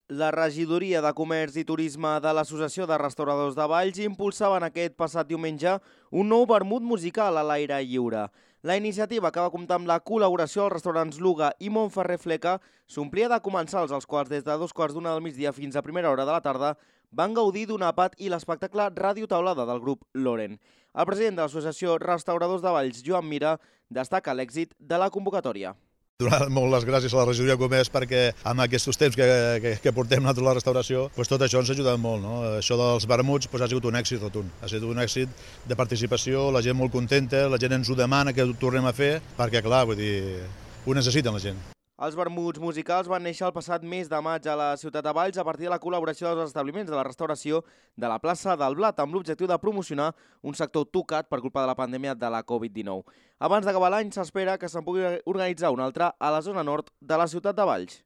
La regidoria de Comerç i Turisme de l'Associació de Restauradors de Valls impulsaven aquest passat diumenge un nou vermut musical a l'aire lliure. La iniciativa, que va comptar amb la col·laboració dels restaurants Luga i Montferrer Fleca, s'omplia de comensals, els quals des de 2:15 del migdia fins a primera hora de la tarda van gaudir d'un àpat i l'espectacle Ràdio Taulada del grup Loren. El president de l'Associació Restauradors de Valls, Joan Mira, destaca l'èxit de la convocatòria. Donar molt les gràcies a la regidoria de Comerç perquè amb aquests temps que portem nosaltres a la restauració, tot això ens ha ajudat molt. Això dels vermuts ha sigut un èxit rotund. Ha sigut un èxit de participació, la gent molt contenta, la gent ens ho demana que ho tornem a fer, perquè clar, ho necessiten la gent. Els vermuts musicals van néixer el passat mes de maig a la ciutat de Valls a partir de la col·laboració dels establiments de la restauració de la plaça del Blat, amb l'objectiu de promocionar un sector tocat per culpa de la pandèmia de la Covid-19. Abans d'acabar l'any s'espera que se'n pugui organitzar un altre a la zona nord de la ciutat de Valls.